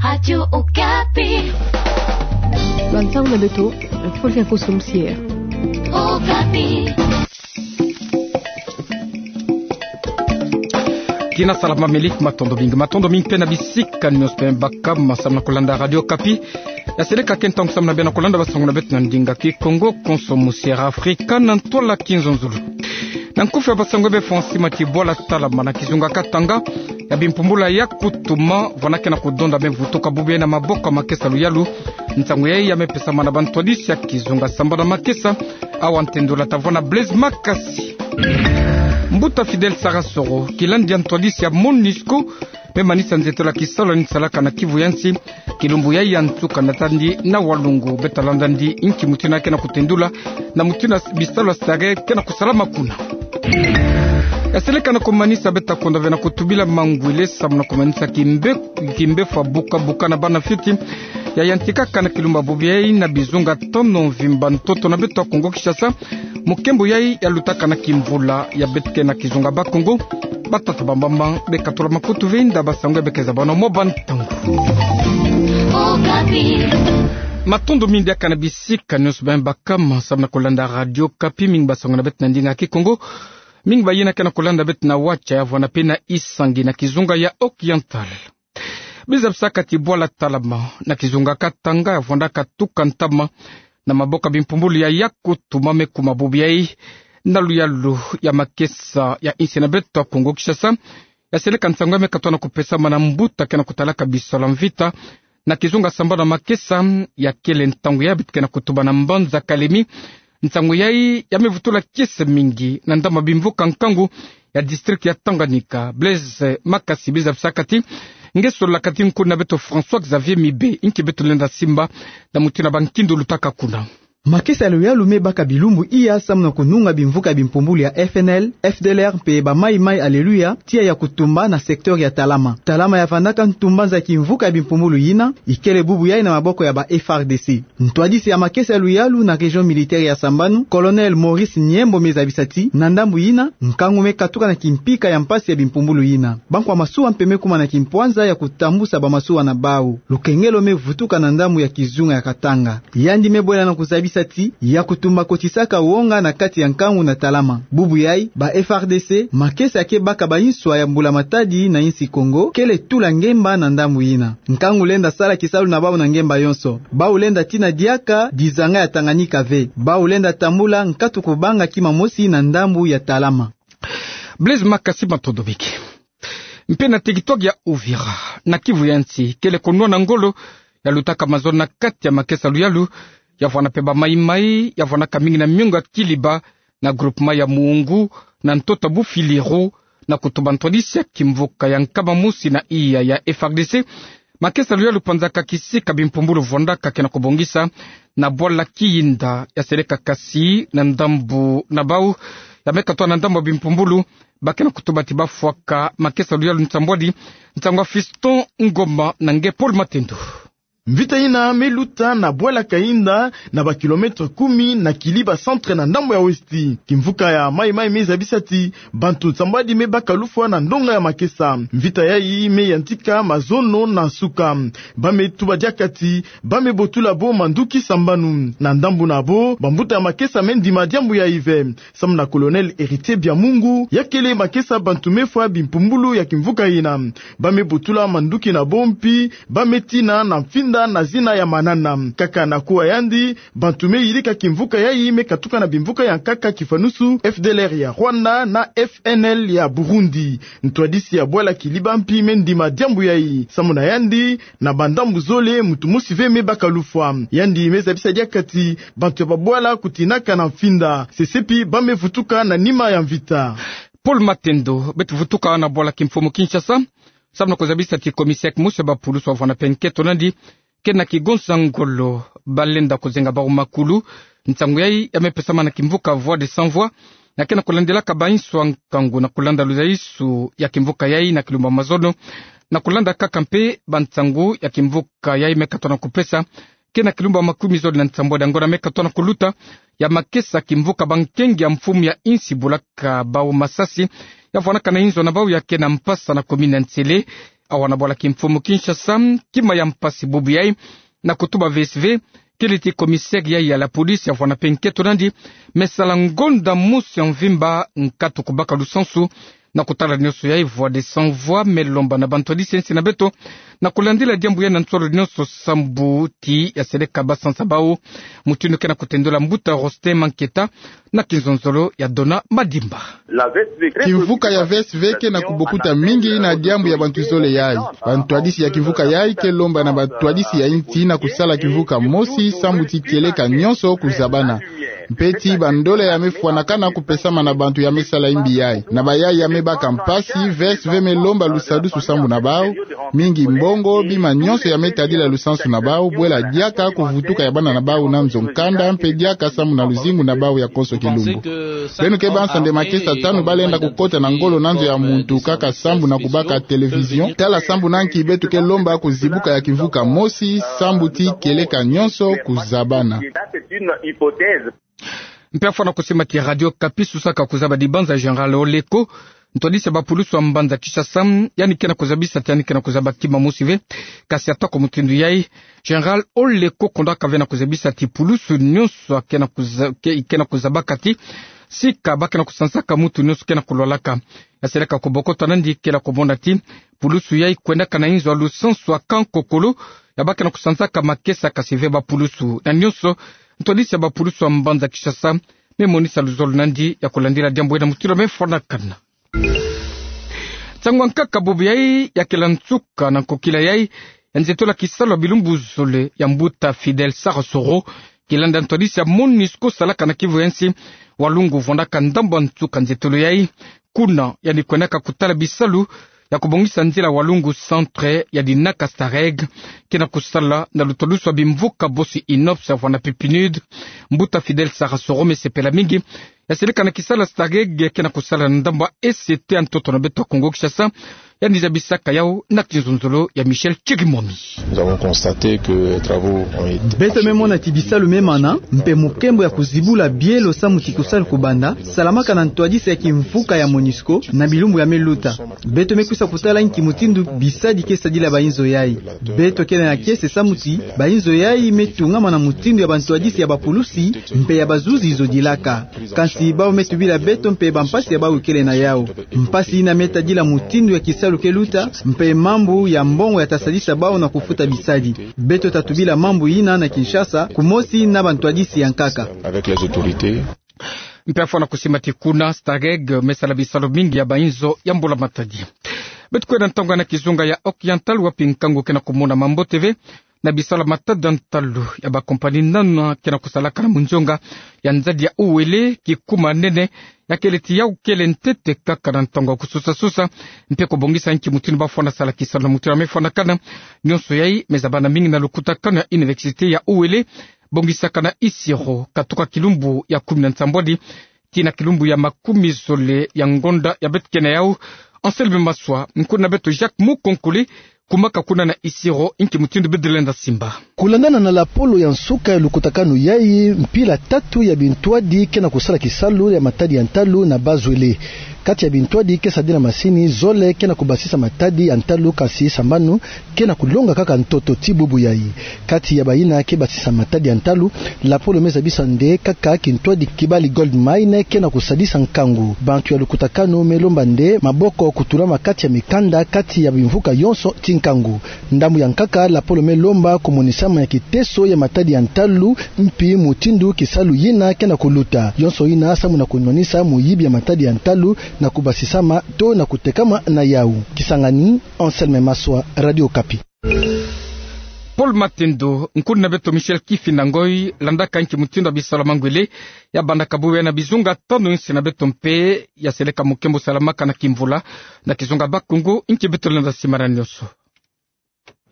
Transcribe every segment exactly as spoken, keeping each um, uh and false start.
Radio Okapi. Bansango na beto, Fulvia Koso Musier. Okapi. Kina salama, matondo mingi, matondo mingi mpe na bisika nyonso mpe bakama samu na kolanda Radio Okapi. Ya seleka ke ntangu samu na bia na kolanda bansango na beto na ndinga Kikongo, Konso Musier Afrika na ntwala kinzonzolo. Na nkufi ya bansango, bie Francis Mati, bwala Talama na kizunga Katanga ya bimpumbulu ya kutuma, vwanda ke na kudonda me vutuka bubu yayi na maboko ya makesa luyalu. Nsangu yayi ya me pesamana na bantwadisi ya kizunga sambana makesa. Awa ntendula ta vwa na Blaise Makasi. Mbuta Fidèle Sarasoro, kilandi ya ntwadisi ya MONUSCO, me manisa nzetolo ya kisalu ni salaka na Kivu ya nsi. Kilumbu yayi ya nsuka na tandi na Walungu, beta landa ndi inki mutindu ya ke na kutendula, na mutindu ya bisalu ya sare ke na kusalama kuna. Ya seleka na kumanisa, beta konda ve na kutubila mangwele samu na kumanisa kimbe, kimbefu ya buka buka na bana fioti ya yantikaka na kilumbu ya bubu yayi na bizunga tano mvimba ntoto na beto ya Kongo Kinshasa, mu nkembo yayi ya lutaka na kimvula ya beto ke na kizunga Bakongo. Batata, bamama, beka tula makutu ve inda bansangu ya beka zabana mwa bantangu. Matondo mingi diaka na bisika nyonso bie bakama samu na kolanda Radio Okapi, mingi bansangu na beto na ndinga Kikongo, mingi bayina ke na kolanda beto na WhatsApp ya vwanda mpe na Isangi na kizunga ya Oriental. Bie zabisaka ti bwala Talama na kizunga Katanga ya vwanda katuka ntama na maboko ya bimpumbulu ya kutuma, me kuma bubu yayi na luyalu ya makesa ya insi na beto ya Kongo Kinshasa. Ya seleka nsangu ya me katona kupesamana na mbuta ke na kutalaka bisalu ya mvita na kizunga sambana makesa. Ya kele ntangu ya beto ke na kutuba na mbanza Kalemi. Nsangu yayi ya me vutula kiese mingi na ndambu ya bimvuka nkangu ya district ya Tanganyika. Blaise Makasi, bie zabisaka ti nge sololaka ti nkuna beto François Xavier Mibe, inki beto lenda simba na mutindu ya bankindu lutaka kuna. Makesa ya luyalu me baka bilumbu iya samu na kununga bimvuka ya bimpumbulu ya FNL, FDLR mpe ba Maï Maï Alléluia, tiya ya kutumba na secteur ya Talama. Talama ya vandaka ntumbanza ya kimvuka ya bimpumbulu yina, ikele bubu yayi na maboko ya ba FARDC. Ntwadisi ya makesa ya luyalu na région militaire ya sambanu, Colonel Maurice Niembo, me zabisa ti na ndambu yina, nkangu me katuka na kimpika ya mpasi ya bimpumbulu yina. Bankwa masuwa mpe me kuma na kimpwanza ya kutambusa bamasuwa na bawu. Lukengelo me vutuka na ndambu ya kizunga ya Katanga. Yandi me bwela na kuzabisa ti ya kutumba kotisaka wonga na kati ya nkangu na Talama. Bubu yayi, ba FARDC, makesa ya ke baka ba inswa ya mbula matadi na insi Kongo, kele tula ngemba na ndambu yina. Nkangu lenda sala kisalu na bawu na ngemba yonso. Bawu lenda tina diaka dizanga ya Tanganyika ve. Bawu lenda tambula nkatu kubanga kima mosi na ndambu ya Talama. Blaise Makasi, matondo mingi. Mpe na territoire ya Uvira, na Kivu ya nsi, kele konwana ngolo ya lutaka mazono na kati ya makesa luyalu, ya vwanda mpe ba Maï Maï, ya vwandaka mingi na miongo ya Kiliba, na groupement ya Muungu, na ntoto Bufiliru, na kutumba ntwadisi ya kimvuka ya nkama mosi na iya ya FARDC. Makesa luyalu panzaka kisika bimpumbulu vwandaka ke na kubongisa na bwala Kiyinda. Ya seleka kasi na ndambu na bawu ya me katuka na ndambu ya bimpumbulu, ba ke na kutumba ti bafwaka makesa luyalu nsambwadi. Nsangu ya Fiston Ngoma na nge Paul Matendo. Mvita yina me luta na bwala Kayinda, na ba kilomètre kumi na Kiliba centre na ndambu ya westi. Kimvuka ya Maï Maï me zabisa ti bantu nsambwadi me baka lufwa na ndonga ya makesa. Mvita yayi me yantika mazono na nsuka. Ba me tuba diaka ti ba me botula bo manduki sambanu. Na ndambu na bo, bambuta ya makesa me ndima diambu yayi ve. Samu na Colonel Héritier Biamungu, ya kele makesa bantu me fwa bimpumbulu ya kimvuka yina. Ba me botula manduki na bo mpi ba me tina na mfinda na zina ya manana. Kaka na kuwa yandi, bantu me yidika kimvuka yayi me katuka na bimvuka ya nkaka kifanusu, FDLR ya Rwanda na FNL ya Burundi. Ntwadisi ya bwala Kiliba mpi me ndima diambu yayi. Samu na yandi, na bandambu zole, muntu mosi ve me baka lufwa. Yandi me zabisa diaka ti bantu ya babwala kutinaka na mfinda. Sesepi ba me vutuka na nima ya mvita. Paul Matendo. Beto vutuka na bwala kimfumu Kinshasa, samu na kuzabisa ti commissaire kimosi ya bapulusu wavwanda mpe nketo nandi, ke na kigonsa ngolo ba lenda kuzenga bawu makulu. Nsangu yayi ya me pesamana na kimvuka Voix des Sans Voix, na ke na kulandelaka ba inswa nkangu na kulanda luzayisu ya kimvuka yayi na kilumbu ya mazono, na kulanda kaka mpe bansangu ya kimvuka yayi me katuka na kupesa, ke na kilumbu ya makumi zole na nsambwadi ya ngonda me katuka na kuluta, ya makesa kimvuka bankengi ya mfumu ya insi bolaka bawu masasi, ya vwanaka na inzo na bawu ya ke na mpasa na commune ya Nsele, awa na bwala kimfumu Kinshasa, kima ya mpasi bubu yai, na kutuba V S V, kele ti commissaire yai ya la police ya vwanda mpe nkento nandi, me sala ngonda mosi ya mvimba nkatu kubaka lusansu, na kutala nionso yai voie de sans voix, me lomba na bantwadisi ya nsi na beto, na kulandila diambu yai na nsolo nionso sambu ti ya seleka basansa bau, mutindu ke na kutendula mbuta Rosten Manketa, na kinzonzolo ya Dona Madimba. Kimvuka ya V S V ke na kubokuta mingi na diambu ya bantu zole yai. Bantwadisi ya kimvuka yai ke lomba na bantwadisi ya nsi na kusala kimvuka mosi sambu ti kieleka nionso kuzabana. Mpe ti bandola ya me fwanakana kupesama na bantu ya me sala imbi yai. Na bayai ya me baka mpasi, V S V me lomba lusadusu sambu na bau, mingi mbongo, bima nionso ya me tadila lusansu na bau, bwela diaka kuvutuka ya bana na bau na nzo nkanda, mpe diaka sambu na luzingu na bau ya konso kilumbu. Beno ke bansa nde makesa tanu ba lenda kukota na ngolo na nzo ya muntu kaka sambu na kubaka télévision. Tala sambu na nki beto ke lomba kuzibuka ya kimvuka mosi, sambu ti kieleka nionso kuzabana. Mpe afwana kusimba ti Radio Okapi susaka kuzaba dibanza Général Oleko, ntwadisi ya bapulusu ya mbanza Kinshasa, yandi ke na kuzabisa ti yandi ke na kuzaba kima mosi ve, kasi atako mutindu yai, Général Oleko kondaka ve na kuzabisa ti pulusu nionso ke na kuza-, ke, ke na kuzabaka ti, sika ba ke na kusansaka mutu nionso ke na kulwalaka. Ya seleka kubokota nandi kele kumona ti, pulusu yai kwendaka na inzo ya lusansu ya Kankokolo, ya ba ke na kusansaka makesa kasi ve bapulusu. Na nionso, ntwadisi ya bapulusu ya mbanza Kinshasa, me monisa luzolo nandi ya kulandila diambu yai na mutindu me fwanakana. Nsangu ya nkaka bubu yai ya kela nsuka na nkokila yai ya nzietolo ya kisalu ya bilumbu zole ya mbuta Fidèle Sarasoro, kilanda ntwadisi ya MONUSCO salaka na kivu ya nsi, walungu vwandaka ndambu ya nsuka nzietolo yai. Kuna, yandi kwendaka kutala bisalu ya kubongisa nzila walungu centre ya dinaka STAREG, ke na kusala na lutwadusu ya bimvuka bosi INOPS ya vwanda mpe PNUD. Mbuta Fidèle Sarasoro me sepela mingi ya seleka na kisalu ya STAREG ke na kusala na ndambu ya E C T ya ntoto na beto ya Kongo Kinshasa, yandi zabisaka yau na kinzonzolo ya Michel Chirimwami. Nous avons constaté que les travaux ont été achevés. Beto me mona ti bisalu me mana, mpe mukembo ya kuzibula bielo samu ti kusalu kubanda, salamaka na ntwadisi ya kimvuka ya MONUSCO na bilumbu ya me luta. Beto me kwisa kutala nki mutindu bisadi ke sadila bainzo yai. Beto kele na kiese samu ti bainzo yai me tungama na mutindu ya bantwadisi ya bapulusi mpe ya bazuzi zodilaka. Kansi bau me tubila beto mpe bampasi ya bau kele na yau. Mpasi ina me tadila mutindu ya kisalu ke luta, mpe mambu ya mbongo ya ta sadisa bau na kufuta bisadi. Beto ta tubila mambu ina na Kinshasa, kumosi na bantwadisi ya nkaka. Avec les autorités. Mpe afwana kusimba ti kuna, STAREG me sala bisalu mingi ya bainzo ya mbula matadi. Beto kwenda ntangu na kizunga ya Occidental, wapi nkangu ke na kumonama mbote ve, na bisalu ya matadi ya ntalu ya bakompani nana ke na kusalaka na munzonga ya nzadi ya Uele, kikuma nene ya kele ti yau kele ntete kaka na ntangu ya kususa-susa, mpe kubongisa nki mutindu ba fwana sala kisalu na mutindu ya me fwanakana. Nionso yai me zabana mingi na lukutakanu ya Université ya Uele, bongisaka na Isiro, katuka kilumbu ya kumi na nsambwadi tii na kilumbu ya makumi zole ya ngonda ya beto ke na yau. Anselme Maswa, nkuna beto Jacques Mukonkole, kumaka kuna na Isiro, nki mutindu beto lenda simba. Kulandana na lapolo ya nsuka ya lukutakanu yai, mpila tatu ya bintwadi ke na kusala kisalu ya matadi ya ntalu na Bas-Uele. Kati ya bintwadi ke sadila masini, zole ke na kubasisa matadi ya ntalu, kansi sambanu ke na kulonga kaka ntoto ti bubu yai. Kati ya baina ke basisa matadi ya ntalu, lapolo me zabisa nde kaka kintwadi Kibali Gold Mine ke na kusadisa nkangu. Bantu ya lukutakanu me lomba nde maboko kutulama kati ya mikanda, kati ya bimvuka yonso ti nkangu. Ndambu ya nkaka, lapolo me lomba kumonisama ya kiteso ya matadi ya ntalu, mpi mutindu kisalu yina ke na kuluta. Yonso yina samu na kunwanisa muyibi ya matadi ya ntalu na kubasisama to na kutekama na yau. Kisangani, Anselme Maswa, Radio Okapi. Paul Matendo, nkuna beto Michel Kifinda Ngoy, landaka nki mutindu ya bisalu ya mangwele ya bandaka bubu yai na bizunga tanu nsi na beto mpe ya seleka mukembo salamaka na kimvula na kizunga Bakongo, nki beto lenda simba na nionso.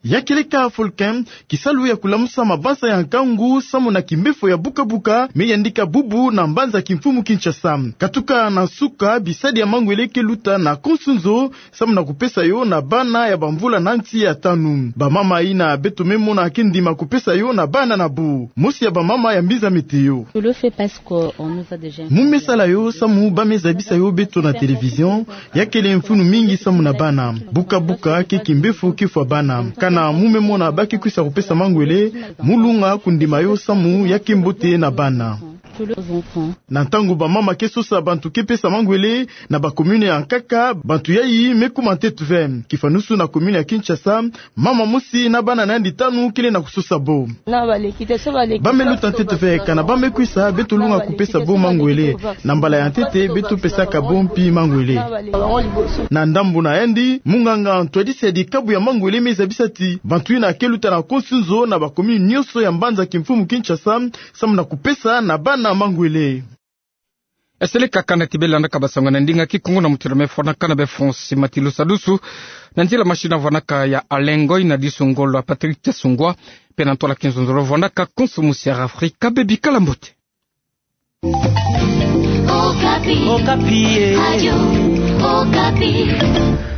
Ya keleka Volcan, kisalu ya kulamusa mabanza ya nkangu samu na kimbefo ya buka-buka me yandika bubu na mbanza kimfumu Kinshasa. Katuka na nsuka, bisadi ya mangwele ke luta na konsunzo samu na kupesa yo na bana ya bamvula na nsi ya tanu. Bamama yina beto me mona ke ndima kupesa yo na bana na bo. Mosi ya bamama ya mbiza Météo. Mu me sala yo samu ba me zabisa yo beto na télévision, ya kele mfunu mingi samu na bana. Buka-buka ke kimbefo ke fwa bana. Kana mu me mona ba ke kwisa kupesa mangwele, mu lunga kundima yo samu ya ke mbote na bana. Na ntangu bamama ke sosa bantu ke pesa mangwele na bacommune ya nkaka, bantu yayi me kuma ntete ve. Kifanusu na commune ya Kinshasa, mama mosi na bana na yandi tanu kele na kusosa bo. Ba me luta ntete ve, kana ba me kwisa, beto lunga kupesa bo mangwele. Na mbala ya ntete beto pesaka bo mpi mangwele. Na ndambu na yandi, munganga ntwadisi ya dikabu ya mangwele me zabisa ti bantu yina ke luta na konsunzo na bacommune nyonso ya mbanza kimfumu Kinshasa samu na kupesa na bana mangwele. Esele kaka na ti bela na kabasango na ndinga Kikongo na mutindu mefwanaka na be France Matilu Sadusu, na nzila machine vwanaka ya Alengoy, na disu ngolo ya Patrick Tiasungwa, pe na ntwala kinzonzolo vwanaka Konso Musiara Afrika, bebi kala mbote. Okapi. Okapi, eh. Radio Okapi.